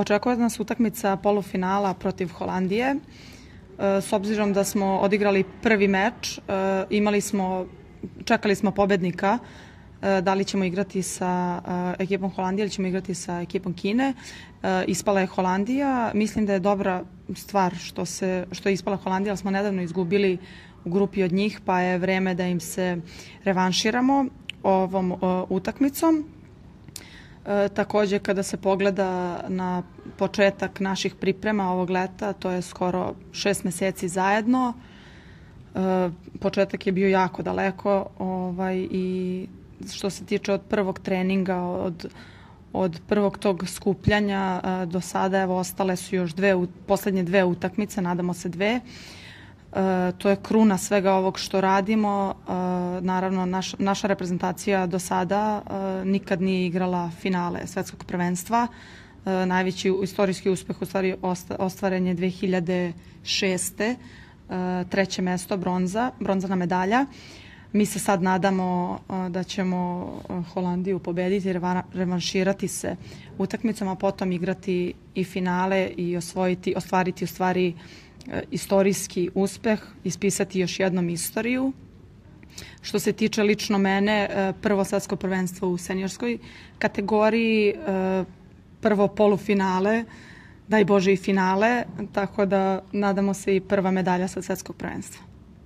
Očekuje nas utakmica polufinala protiv Holandije. S obzirom da smo odigrali prvi meč, čekali smo pobednika, da li ćemo igrati sa ekipom Holandije ili ćemo igrati sa ekipom Kine. Ispala je Holandija. Mislim da je dobra stvar što je ispala Holandija, ali smo nedavno izgubili u grupi od njih, pa je vreme da im se revanširamo ovom utakmicom. Takođe, kada se pogleda na početak naših priprema ovog leta, to je skoro 6 meseci zajedno. Početak je bio jako daleko i što se tiče od prvog treninga, od prvog tog skupljanja do sada, evo, ostale su još poslednje 2 utakmice, nadamo se 2. To je kruna svega ovog što radimo. Naravno, naša reprezentacija do sada nikad nije igrala finale svetskog prvenstva. Najveći istorijski uspeh u stvari ostvaren je 2006. 3. mesto, bronzana medalja. Mi se sad nadamo da ćemo Holandiju pobediti, revanširati se utakmicom, a potom igrati i finale i ostvariti u stvari istorijski uspeh, ispisati još jednom istoriju. Što se tiče lično mene, prvo svetsko prvenstvo u seniorskoj kategoriji, prvo polufinale, daj Bože i finale, tako da nadamo se i prva medalja sa svetskog prvenstva.